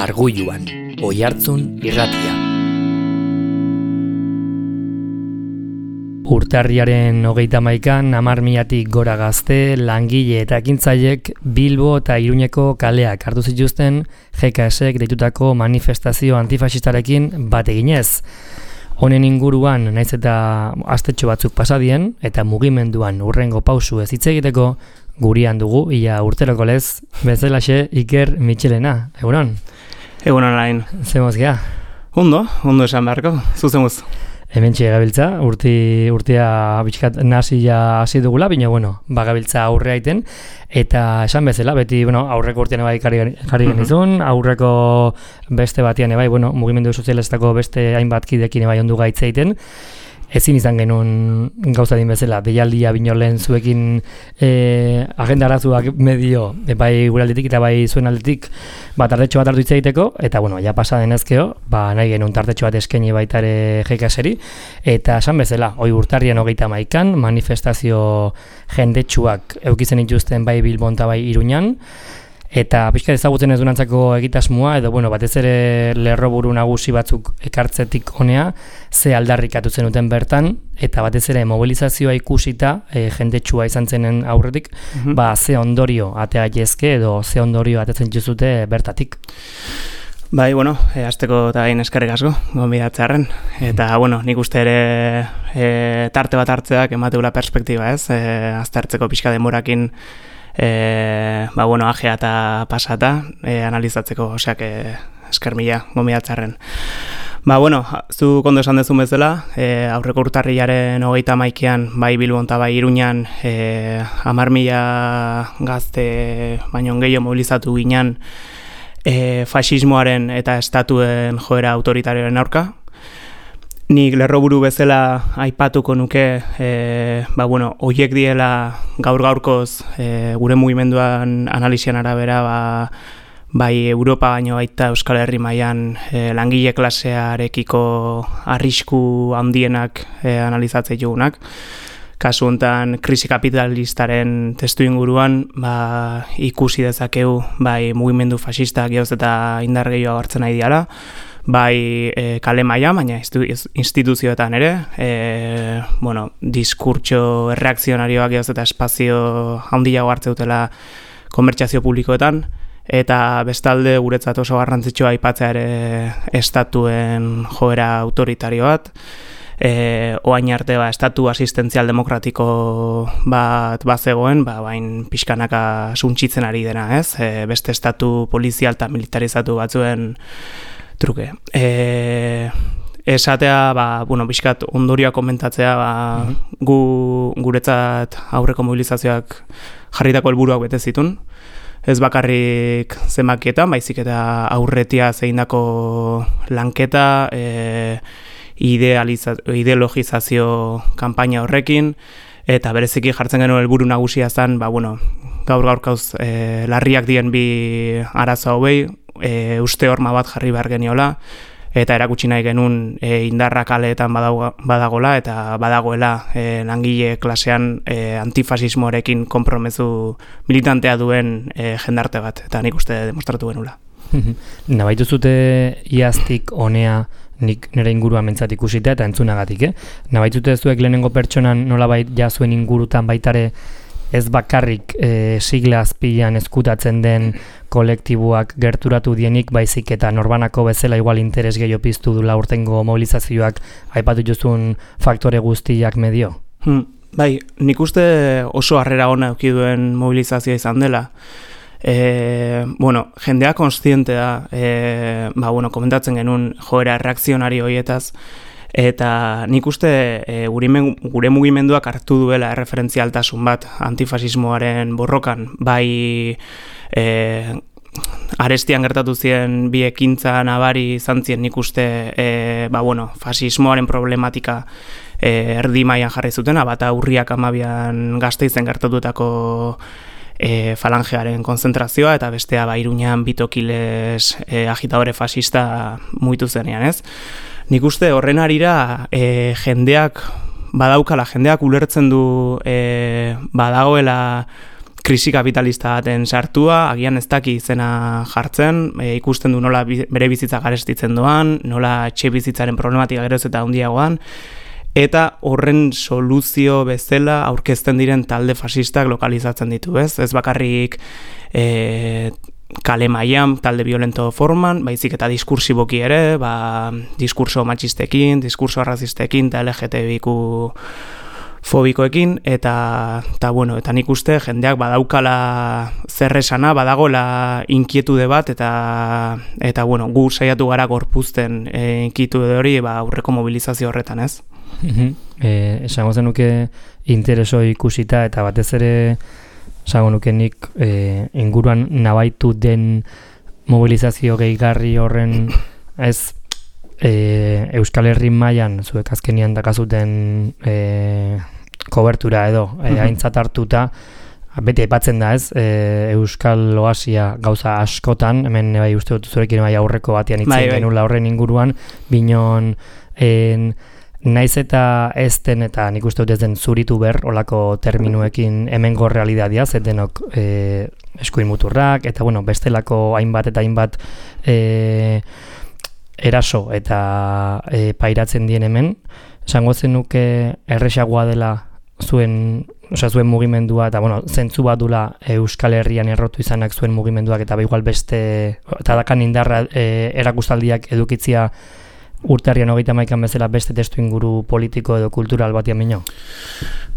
Arguluan, Oihartzun irratia. Urtarriaren 31an 10.000 gora gazte, langile eta ekintzailek Bilbo eta Iruñeko kaleak hartu zituzten GKSek deitutako manifestazio antifaxistarekin bat eginez. Honen inguruan naiz eta astetxo batzuk pasadien eta mugimenduan hurrengo pausu ez hitz egiteko gurian dugu ia urteroko lez bezalaxe Iker Mitxelena. Egunon? Egunon lain. Zemoz gea? Ondo esan beharko, zuzemuz. Hementxe gabiltza, urtea bitxkat nasia hasi dugula, baina gabiltza aurrea iten, eta esan bezala, beti aurreko urtean bai jarri genizun, aurreko beste batian bai, mugimendu sozialistako beste hainbat kidekin bai ondu gaitza egiten, ezin izan genuen gauza din bezala, deialdia bino lehen zuekin agenda arazuak medio, bai gure aldetik eta bai zuen aldetik tartetxo bat hartu hitz egiteko, eta ja pasa denezkeo, nahi genuen tartetxo bat eskaini baita ere GKSeri, eta esan bezala, urtarrian 31an manifestazio jendetsuak eukitzen dituzten bai Bilbon eta bai Iruñan, eta pixka ezagutzen ez durantzako egitasmoa, edo batez ere lerroburu nagusi batzuk ekartzetik honea, ze aldarrikatu zenuten bertan, eta batez ere mobilizazioa ikusita, jendetsua izan zenen aurretik, ze ondorio atea jezke, edo ze ondorio atetzen dituzute bertatik. Bai, hasteko eta gain eskerrik asko, gonbidatzearren. Eta, nik uste ere tarte bat hartzeak emateula perspektiba, ez? Aztertzeko pixka denborakin ajea eta pasata analizatzeko, oseak esker mila gonbidatzarren. Zu kondo esan dezun bezala, aurreko urtarrilaren 31an bai Bilbon eta bai Iruñan 10.000 gazte baino gehiago mobilizatu ginen faxismoaren eta estatuen joera autoritarioaren aurka. Nik lerroburu bezala aipatuko nuke, horiek diela gaur-gaurkoz gure mugimenduan analisian arabera, bai Europa baino baita Euskal Herri mailan langile klasearekiko arrisku handienak analizatzen jugunak. Kasu honetan krisi kapitalistaren testu inguruan ikusi dezakegu bai mugimendu faxistak geoz eta indar gehiago hartzen nahi diala, bai kale maila, baina instituzioetan ere, diskurtso erreakzionarioak geoz eta espazio handiago hartze dutela komertziazio publikoetan, eta bestalde guretzat oso garrantzitsua aipatzea ere estatuen joera autoritario bat, oain arte estatu asistentzial demokratiko bat bazegoen, bain pixkanaka suntsitzen ari dena, ez? Beste estatu polizial eta militarizatu batzuen truke. Esatea, pixkat ondorioa komentatzea, guretzat aurreko mobilizazioak jarritako helburuak bete zitun. Ez bakarrik zenbakietan, baizik eta aurretia zeindako lanketa, ideologizazio kanpaina horrekin, eta bereziki jartzen genuen helburu nagusia zen, gaur-gaurkauz larriak dien bi arazo hauei, uste horma bat jarri behar geniola, eta erakutsi nahi genuen indarra kaleetan badagola, eta badagoela langile klasean antifasismoarekin konpromezu militantea duen jendarte bat, eta nik uste demostratu genula. Nabaitu zute iaztik honea nik nire ingurua mentzat ikusita eta entzunagatik, Nabaitute zuek lehenengo pertsonan nolabait zuen ingurutan baitare ez bakarrik sigla azpilan ezkutatzen den kolektiboak gerturatu dienik, baizik eta norbanako bezala igual interes gehiago piztu dula urtengo mobilizazioak aipatu jozun faktore guztiak medio? Bai, nik uste oso harrera ona eduki duen mobilizazioa izan dela. Jendea konstiente da, komentatzen genuen joera reakzionario horietaz, eta nik uste gure mugimenduak hartu duela erreferentzialtasun bat antifasismoaren borrokan, bai arestian gertatu ziren bi ekintza nabari izan ziren nik uste fasismoaren problematika erdi mailan jarri zutena, bata urriak 12an Gasteizen gertatutako falangearen konzentrazioa, eta bestea Iruñan bitokiles agitadore fascista mugitu zenean, ez? Nik uste horren arira jendeak ulertzen du badagoela krisi kapitalista baten sartua, agian ez daki izena jartzen, ikusten du nola bere bizitza garestitzen doan, nola etxe bizitzaren problematika geroz eta handiagoan, eta horren soluzio bezala aurkezten diren talde fasistak lokalizatzen ditu, ez? Ez bakarrik kale mailan talde violento forman, baizik eta diskursiboki ere, diskurso matxistekin, diskurso arrazistekin, eta LGTBIQ fobikoekin, eta nik uste jendeak badaukala zer esana, badagola inkietude bat, eta gu saiatu gara gorpuzten inkietude hori aurreko mobilizazio horretan, ez? Esango zenuke intereso ikusita, eta batez ere esango nuke nik inguruan nabaitu den mobilizazio gehigarri horren ez Euskal Herri mailan zuek azkenian dakazuten kobertura edo aintzat hartuta beti aipatzen da, ez? Euskal Oasia gauza askotan, hemen bai uste dut zurekin bai aurreko batean itzen genula horren inguruan, binon naiz eta ez den, eta nik uste dut ez den zuritu ber, olako terminuekin hemengo realitatea, ez denok eskuin muturrak, eta bestelako hainbat eta hainbat eraso eta pairatzen dien hemen, esango zenuke erresagoa dela zuen mugimendua, eta zentzu bat dula Euskal Herrian errotu izanak zuen mugimenduak, eta igual beste, eta dakan indarra erakustaldiak edukitzia urtarrian 31 bezala beste testu inguru politiko edo kultural batian mino?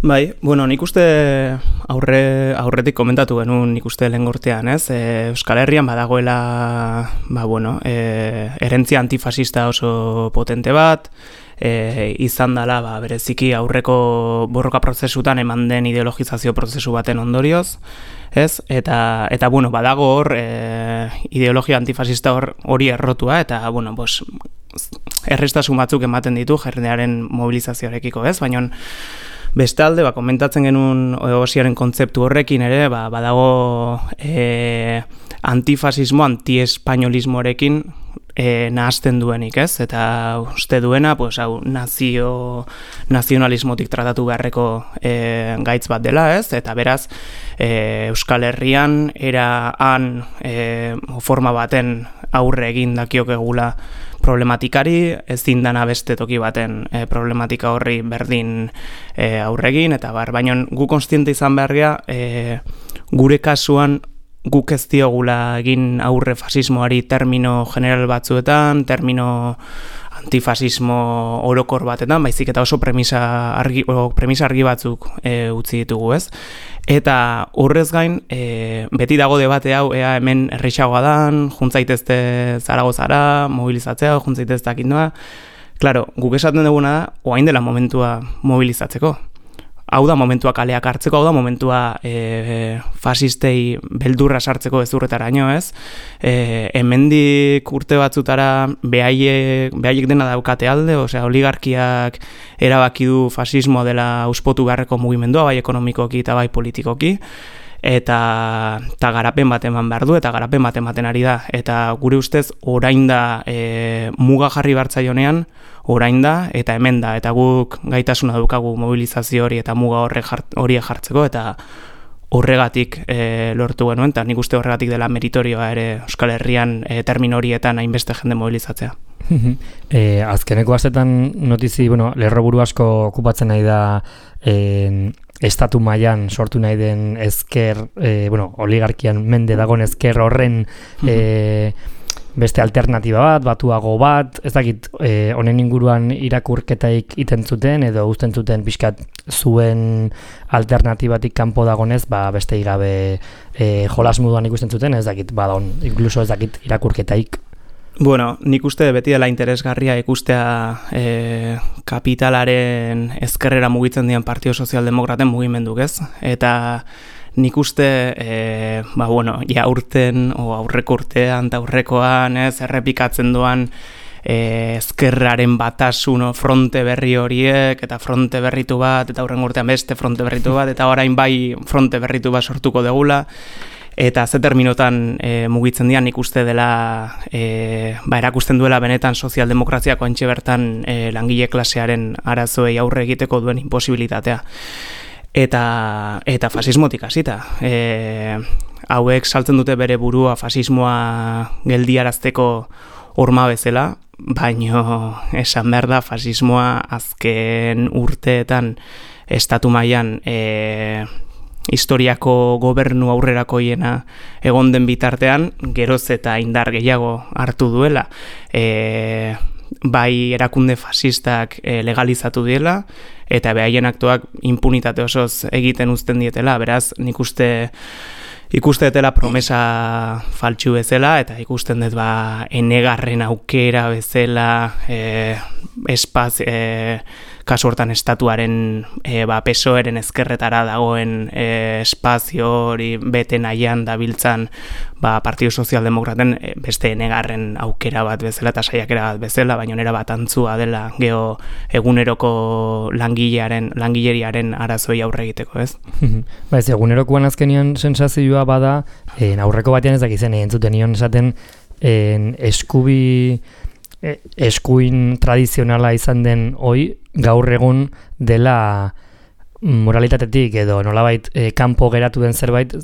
Bai, nik uste aurretik komentatu genuen nik uste lehen gortean, ez? Euskal Herrian badagoela, herentzia antifasista oso potente bat, izan dela bereziki aurreko borroka prozesutan eman den ideologizazio prozesu baten ondorioz, ez? Eta badago hor ideologia antifasista hori errotua, eta errestasun batzuk ematen ditu jendearen mobilizazioarekiko, ez? Baina bestalde, komentatzen genuen Oasiaren kontzeptu horrekin ere, badago antifasismo, antiespainolismoarekin nahazten duenik, ez? Eta uste duena, nazionalismotik tratatu beharreko gaitz bat dela, ez? Eta beraz, Euskal Herrian han forma baten aurre egin dakiokegula problematikari, ezin dana beste toki baten problematika horri berdin aurregin, eta baina gu kontziente izan behar gea, gure kasuan guk ez diogula egin aurre fasismoari termino general batzuetan, termino antifasismo orokor batetan, baizik eta oso premisa argi batzuk utzi ditugu, ez? Eta horrez gain, beti dago debate hau, ea hemen errexagoa dan, juntzaitezte Zaragozara, mobilizatzea, juntzaitezte akindoa. Claro, guk esaten duguna da, oain dela momentua mobilizatzeko. Hau da momentua kaleak hartzeko, hau da momentua fasistei beldurra sartzeko ezurretaraino, ez? Hemendik urte batzutara behaiek dena daukate alde, oligarkiak erabaki du fasismoa dela auspotu beharreko mugimendua, bai ekonomikoki eta bai politikoki, eta garapen bat eman behar du, eta garapen bat ematen ari da. Eta gure ustez, orain da muga jarri bartzaionean, orain da, eta hemen da, eta guk gaitasuna dukagu mobilizazio hori eta muga hori jartzeko, eta horregatik lortu genuen, eta nik uste horregatik dela meritorioa ere Euskal Herrian termino horietan hainbeste jende mobilizatzea. Azkeneko astetan notizi, lerroburu asko okupatzen nahi da estatu mailan sortu nahi den ezker, oligarkian mende dagoen ezker horren beste alternatiba bat, batuago bat, ez dakit honen inguruan irakurketaik iten zuten edo uzten zuten pixkat zuen alternatibatik kanpo dagonez, beste igabe jolas moduan ikusten zuten, ez dakit, inkluso ez dakit irakurketaik. Nik uste beti dela interesgarria ikustea kapitalaren ezkerrera mugitzen dian Partio Sozialdemokraten mugimenduk, ez? Eta nik uste, aurten, aurreko urtean eta aurrekoan, ez, errepikatzen doan ezkerraren batasun fronte berri horiek, eta fronte berritu bat, eta aurren urtean beste fronte berritu bat, eta orain bai fronte berritu bat sortuko degula, eta ze terminotan mugitzen dian nik uste dela, erakusten duela benetan sozialdemokraziako antxe bertan langile klasearen arazoei aurre egiteko duen imposibilitatea. eta fasismotik hasita. Hauek saltzen dute bere burua fasismoa geldiarazteko horma bezala, baino esan behar da fasismoa azken urteetan estatu mailan historiako gobernu aurrerakoiena egon den bitartean, geroz eta indar gehiago hartu duela. Bai erakunde fasistak legalizatu diela, eta behaien aktuak impunitate osoz egiten uzten dietela, beraz, nik ikuste dela promesa faltsu bezala, eta ikusten dut enegarren aukera bezala kasu hortan estatuaren PSOEren ezkerretara dagoen espazio hori bete nahian dabiltzan Partido Sozialdemokraten beste enegarren aukera bat bezala eta saiakera bat bezala, baina nera bat antzua dela geho eguneroko langileriaren arazoi aurre egiteko, ez? Ez, egunerokoan azkenian sensazioa bada, aurreko batean ezak izen entzuten nion esaten eskuin tradizionala izan den hoi, gaur egun dela moralitatetik edo nolabait kanpo geratu den zerbait,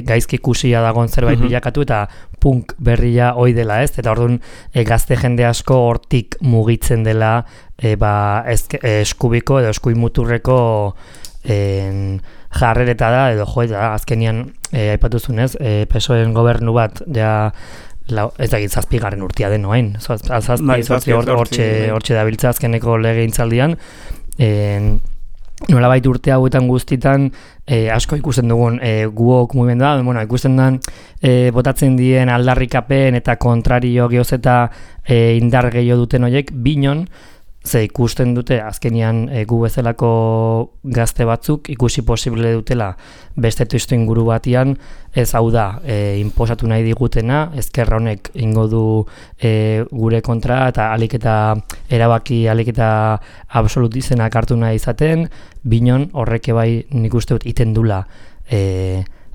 gaizki ikusia dagoen zerbait bilakatu eta punk berria hoi dela, ez? Eta orduan gazte jende asko hortik mugitzen dela eskubiko edo eskuin muturreko jarrereta da, edo azkenian aipatuzunez, PSOEren gobernu bat ja ez dakit 7. urtea den noain, 7 hortxe dabiltza azkeneko legegintzaldian, nolabait urte hauetan guztitan asko ikusten dugun guok mugimendua, ikusten den botatzen dien aldarrikapen eta kontrario geoz eta indar gehiago duten horiek, binon, ze ikusten dute azkenian gu bezalako gazte batzuk ikusi posible dutela beste testu inguru batian, ez hau da inposatu nahi digutena, ezkerra honek ingo du gure kontra eta alik eta erabaki alik eta absolutizenak hartu nahi izaten, binon horreke bai nik uste dut iten dula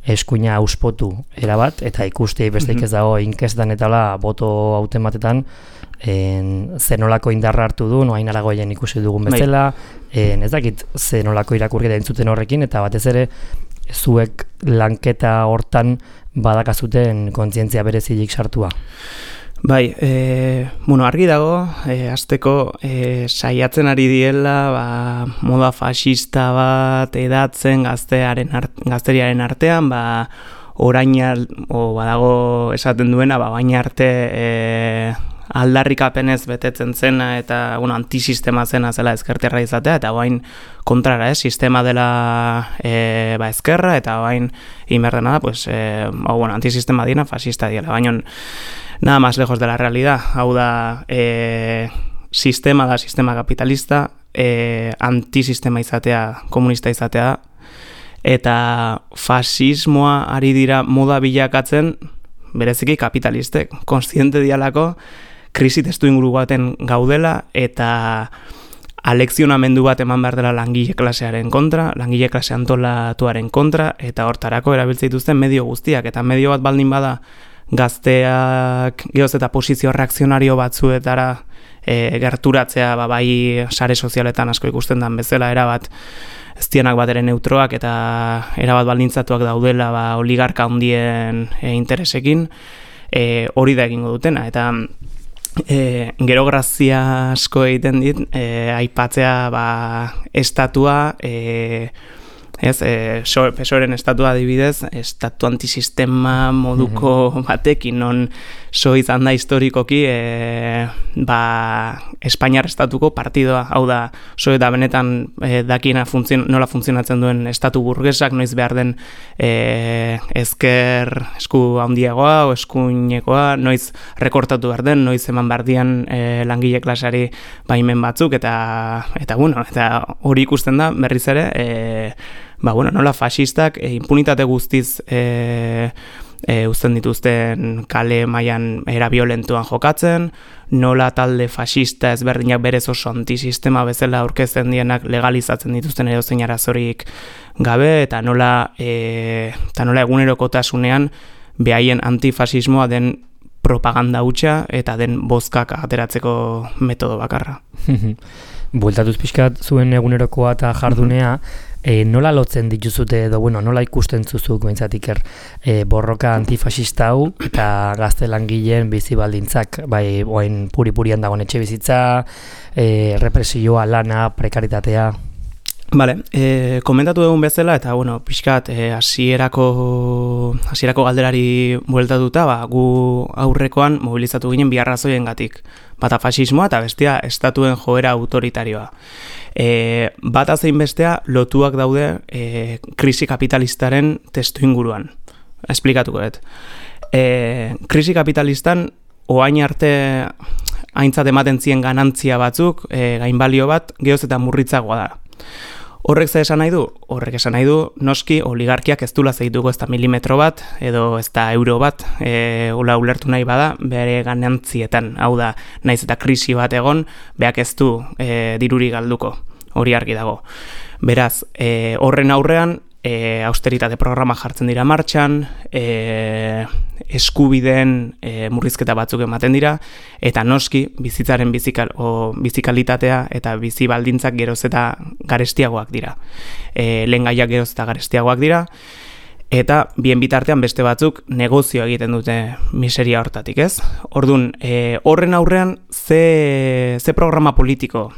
eskuina auspotu erabat, eta ikuste besteik ez dago inkestan eta boto hautematetan zenolako indarra hartu du, noain aragoien ikusi dugun bezala, ez dakit zenolako irakurketa entzuten horrekin, eta batez ere zuek lanketa hortan badakazuten kontzientzia berezilik sartua. Bai, argi dago, hasteko saiatzen ari diela moda fascista bat edatzen gazteriaren artean, orain badago esaten duena, bain arte aldarrikapenez betetzen zena eta antisistema zena zela ezkerterra izatea, eta bain kontrara, sistema dela ezkerra, eta bain inberdena da, antisistema dina, fascista diela, baina nada más lejos de la realidad. Hau da, sistema kapitalista, antisistema izatea, komunista izatea, eta fasismoa ari dira moda bilakatzen, bereziki kapitalistek, kontziente dialako, krisi testu inguru baten gaudela, eta alekzionamendu bat eman behar dela langile klasearen kontra, langile klase antolatuaren kontra, eta hortarako erabiltzen dituzten medio guztiak, eta medio bat baldin bada gazteak geoz eta posizio reakzionario batzuetara gerturatzea, bai sare sozialetan asko ikusten den bezala, erabat ez dienak bat ere neutroak eta erabat baldintzatuak daudela oligarka handien interesekin, hori da egingo dutena, eta gero grazia asko egiten dit, aipatzea estatua, PSOEren estatua adibidez, estatu antisistema moduko batekin, non izan da historikoki Espainiar estatuko partidoa, hau da, eta benetan dakina nola funtzionatzen duen estatu burgesak, noiz behar den ezker esku handiagoa o eskuinekoa, noiz rekortatu behar den, noiz eman behar dian langile klasari baimen batzuk, eta hori ikusten da berriz ere, nola fascistak impunitate guztiz uzten dituzten kale mailan era violentuan jokatzen, nola talde fascista ezberdinak berez oso antisistema bezala aurkezten dienak legalizatzen dituzten edozein arazorik gabe, eta nola egunerokotasunean behaien antifasismoa den propaganda hutsa eta den bozkak ateratzeko metodo bakarra. Bueltatuz pixkat zuen egunerokoa eta jardunea, nola lotzen dituzute edo, bueno, nola ikusten zuzuk behintzat Iker borroka antifasista hau eta gazte langileen bizi baldintzak, bai, oain puri-purian dagoen etxe bizitza, represioa, lana, prekaritatea. Vale, komentatu dugun bezala, eta, bueno, pixkat, hasierako galderari bueltatuta, gu aurrekoan mobilizatu ginen bi arrazoiengatik. Bata fasismoa eta bestea estatuen joera autoritarioa. Bata zein bestea lotuak daude krisi kapitalistaren testu inguruan. Esplikatuko dut. Krisi kapitalistan oain arte aintzat ematen zien ganantzia batzuk, gainbalio bat, geoz eta murritzagoa da. Horrek ze esan nahi du? Horrek esan nahi du, noski, oligarkiak ez dula zeituko ez da milimetro bat, edo ez da euro bat, ula ulertu nahi bada, bere ganantzietan, hau da, naiz eta krisi bat egon, beak ez du diruri galduko, hori argi dago. Beraz, horren aurrean, austeritate programa jartzen dira martxan, eskubideen murrizketa batzuk ematen dira, eta noski bizitzaren bizikalitatea eta bizi baldintzak geroz eta garestiagoak dira. Lehengaiak geroz eta garestiagoak dira, eta bien bitartean beste batzuk negozio egiten dute miseria hortatik, ez? Orduan, horren aurrean ze programa politiko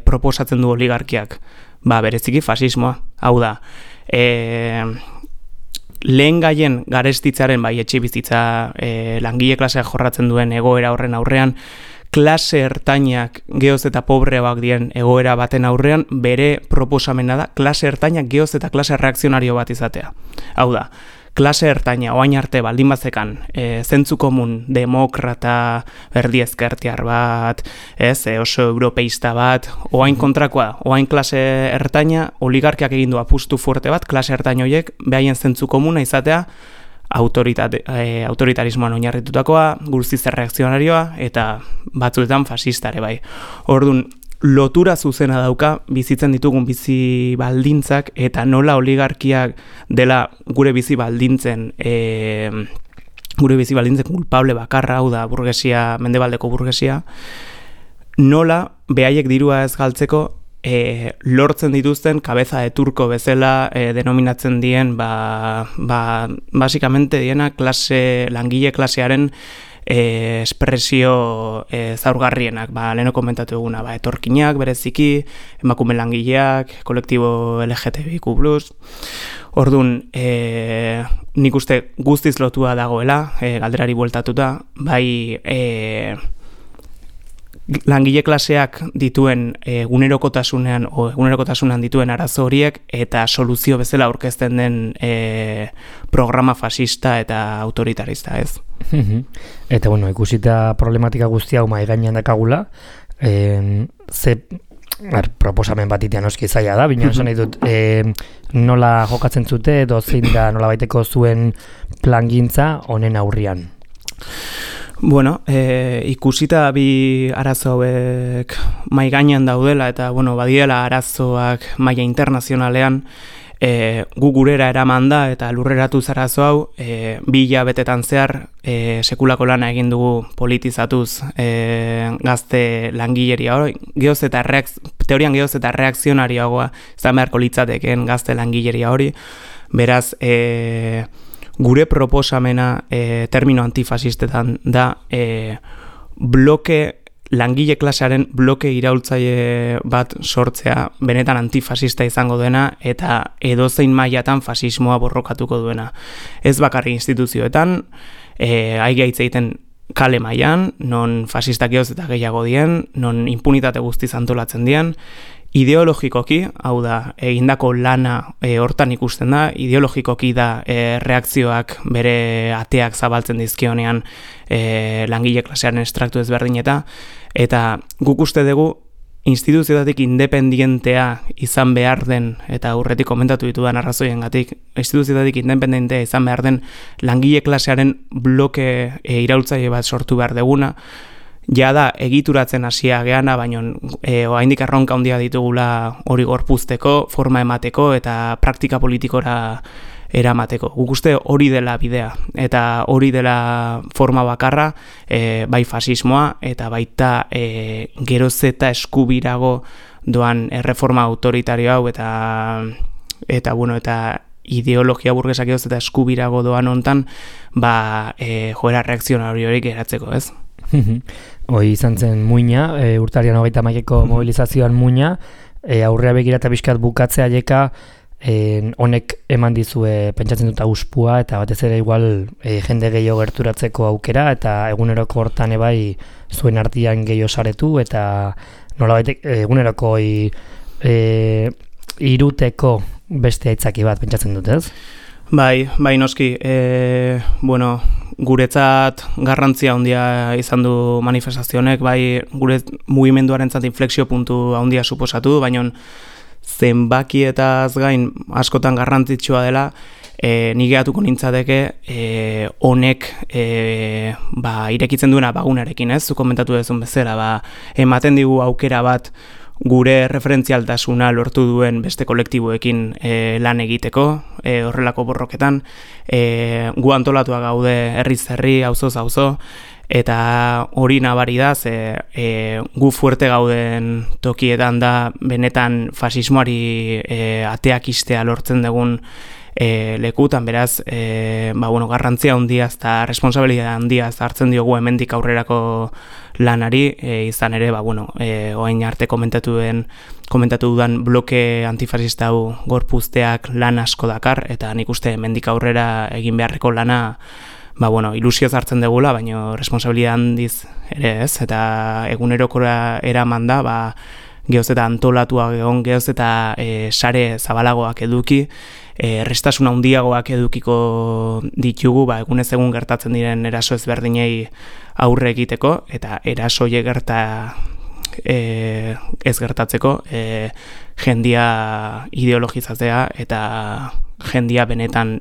proposatzen du oligarkiak? Bereziki fasismoa, hau da, lehen gaien garestitzaren, bai etxe bizitza langile klaseak jorratzen duen egoera horren aurrean, klase ertainak geoz eta pobreak dien egoera baten aurrean, bere proposamena da klase ertainak geoz eta klase reakzionario bat izatea. Hau da, klase ertaina, oain arte baldin bazekan, zentzu komun, demokrata, berdi ezkertiar bat, oso europeista bat, oain kontrakoa, oain klase ertaina, oligarkiak egin du apustu fuerte bat, klase ertaina horiek, behaien zentzu komuna izatea, autoritarismoan oinarritutakoa, guztiz erreakzionarioa, eta batzuetan fasistare bai. Orduan, lotura zuzena dauka bizitzen ditugun bizi baldintzak eta nola oligarkiak dela gure bizi baldintzen kulpable bakarra, hau da burgesia, mendebaldeko burgesia, nola behaiek dirua ez galtzeko lortzen dituzten kabeza de turko bezala denominatzen dien basikamente diena langile klasearen espresio zaurgarrienak, leheno komentatu eguna, etorkinak, bereziki, emakume langileak, kolektibo LGTBIQ+. Orduan, nik uste guztiz lotua dagoela, galderari bueltatuta, bai langile klaseak dituen egunerokotasunean dituen arazo horiek eta soluzio bezala aurkezten den programa fasista eta autoritarista, ez? Eta, bueno, ikusita problematika guztia mahai gainean dakagula, proposamen bat itean oski zaila da, bina esan nahi dut, nola jokatzen zute, edo zein da nola baiteko zuen plangintza honen aurrian? Bueno, ikusita bi arazo hauek mahai gainean daudela eta badiela arazoak maila internazionalean, gu gurera eraman da eta lurreratu arazo hau, 2 hilabetetan zehar sekulako lana egin dugu politizatuz gazte langileria hori, teorian geoz eta reakzionarioagoa izan beharko litzateken gazte langileria hori, beraz, gure proposamena termino antifasistetan da langile klasearen bloke iraultzaile bat sortzea benetan antifasista izango dena eta edozein mailatan fasismoa borrokatuko duena. Ez bakarri instituzioetan, aigia hitz egiten kale mailan, non fasistak geoz eta gehiago dien, non impunitate guztiz antolatzen dien, ideologikoki, hau da, egindako lana hortan ikusten da, ideologikoki da reakzioak bere ateak zabaltzen dizkionean langile klasearen estraktu ezberdin eta guk uste dugu instituzioetatik independientea izan behar den, eta aurretik komentatu ditudan arrazoiengatik, instituzioetatik independentea izan behar den langile klasearen bloke iraultzaile bat sortu behar deguna, ja da egituratzen hasia geana, baina oraindik erronka handia ditugula hori gorpuzteko, forma emateko eta praktika politikora eramateko. Guk uste hori dela bidea eta hori dela forma bakarra, bai fasismoa eta baita geroz eta eskubirago doan erreforma autoritario hau eta eta ideologia burgesak edoz eta eskubirago doan hontan, joera reakzionariorik geratzeko, ez? Hoi izan zen muina, urtarian 31eko mobilizazioan muina, aurrea begira eta bizkat bukatzea jeka, honek eman dizue pentsatzen dut auspua eta batez ere igual jende gehiago gerturatzeko aukera eta eguneroko hortan ebai zuen artean gehiago saretu eta nolabait eguneroko iruteko beste aitzaki bat pentsatzen dut, ez? Bai noski, guretzat garrantzia handia izan du manifestazionek, bai gure mugimenduarentzat inflexio puntu handia suposatu du, baina zenbakietaz gain askotan garrantzitsua dela, ni gehatuko nintzateke honek irekitzen duena bagunarekin, ez? Zu komentatu duzun bezala, ematen digu aukera bat gure referentzialtasuna lortu duen beste kolektiboekin lan egiteko, horrelako borroketan, gu antolatua gaude herriz herri, auzoz auzo, eta hori nabari da, gu fuerte gauden tokietan da benetan fasismoari ateak istea lortzen dugun lekutan, beraz, garrantzia handia eta responsabilidad handia hartzen diogu hemendik aurrerako lanari, izan ere, orain arte komentatu dudan bloke antifasista hau gorpuzteak lan asko dakar, eta nik uste hemendik aurrera egin beharreko lana ilusioz hartzen dugula, baina responsabilidad handiz ere ez, eta egunerokora eraman da, gehoz eta antolatuak egon, gehoz eta sare zabalagoak eduki, errestasuna handiagoak edukiko ditugu, egunez egun gertatzen diren eraso ezberdinei aurre egiteko, eta erasoie ez gertatzeko, jendia ideologizatzea eta jendia benetan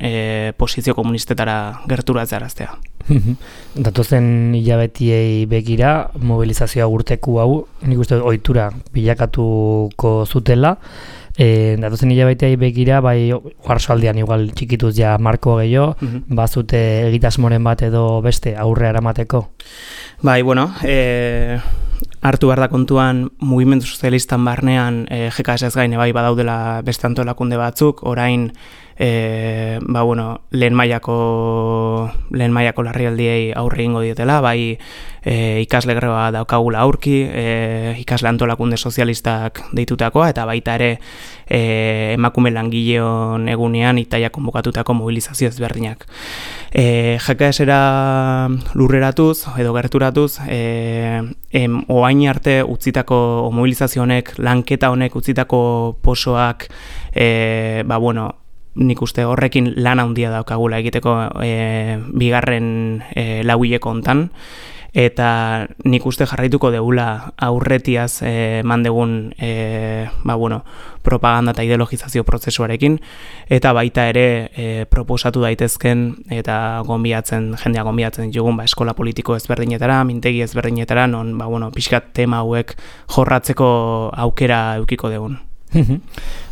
posizio komunistetara gerturatzearaztea. Datozen hilabetiei begira, mobilizazioa urteku hau, nik uste ohitura bilakatuko zutela, datozen hilabeteei begira, oarsoaldean igual txikituz ja marko gehiago, bazute egitasmoren bat edo beste aurre eramateko? Hartu behar da kontuan mugimendu sozialistan barnean GKS gain badaudela beste antolakunde batzuk, orain lehen mailako larrialdiei aurre egingo dietela, ikasle greba daukagula aurki, ikasle antolakunde sozialistak deitutakoa, eta baita ere emakume langileon egunean itaia konbokatutako mobilizazio ezberdinak. GKS-era lurreratuz edo gerturatuz, oain arte utzitako mobilizazio honek, lanketa honek utzitako posoak, nik uste horrekin lan handia daukagula egiteko bigarren lauileko hontan, eta nik uste jarraituko degula aurretiaz mandegun propaganda eta ideologizazio prozesuarekin, eta baita ere proposatu daitezken eta jendea gonbiatzen ditugun eskola politiko ezberdinetara, mintegi ezberdinetara, non pixkat tema hauek jorratzeko aukera eukiko dugun.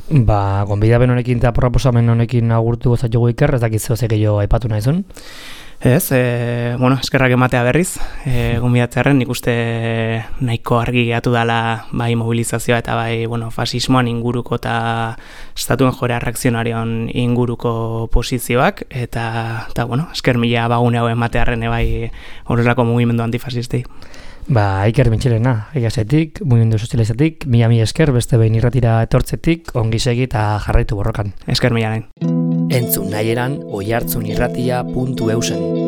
Gonbidapen honekin eta proposamen honekin agurtu gozatugu Iker, ez dakiz zehoz gehiago aipatu nahizun? Ez, eskerrak ematea berriz, gonbidatzearen nik uste nahiko argi gehatu dela mobilizazioa eta fasismoan inguruko eta estatuen joera reakzionarion inguruko posizioak, eta esker mila bagune hau ematearen horrelako mugimendu antifasistei. Iker Mintxelena, egazetik, mugimendu sozializatik, mila esker, beste behin irratira etortzetik, ongi segi eta jarraitu borrokan. Esker mila nahin. Entzun nahi eran, oihartzunirratia.eusen.